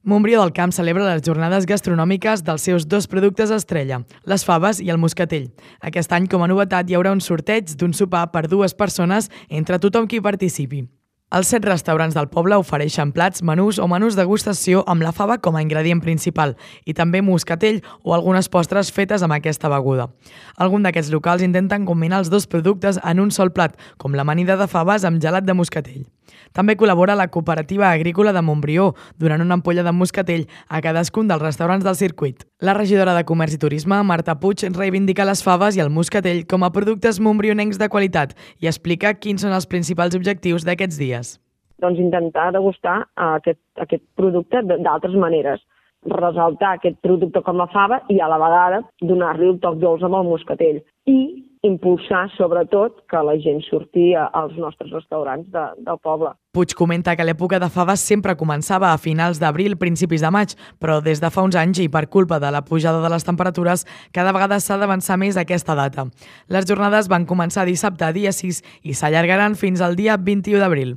Montbrió del Camp celebra les jornades gastronòmiques dels seus dos productes estrella, les faves i el moscatell. Aquest any, com a novetat, hi haurà un sorteig d'un sopar per 2 persones entre tothom qui participi. Els 7 restaurants del poble ofereixen plats, menús o menús degustació amb la fava com a ingredient principal i també moscatell o algunes postres fetes amb aquesta beguda. Alguns d'aquests locals intenten combinar els dos productes en un sol plat, com l'amanida de faves amb gelat de moscatell. També col·labora la Cooperativa Agrícola de Montbrió, donant una ampolla de moscatell a cadascun dels restaurants del circuit. La regidora de Comerç i Turisme, Marta Puig, reivindica les faves i el moscatell com a productes montbrionencs de qualitat i explica quins són els principals objectius d'aquests dies. Doncs intentar degustar aquest producte d'altres maneres, ressaltar aquest producte com a fava i a la vegada donar-li un toc dolç amb el moscatell i impulsar sobretot que la gent surti als nostres restaurants del poble. Puig comenta que l'època de faves sempre començava a finals d'abril, principis de maig, però des de fa uns anys i per culpa de la pujada de les temperatures, cada vegada s'ha d'avançar més aquesta data. Les jornades van començar dissabte, dia 6, i s'allargaran fins al dia 21 d'abril.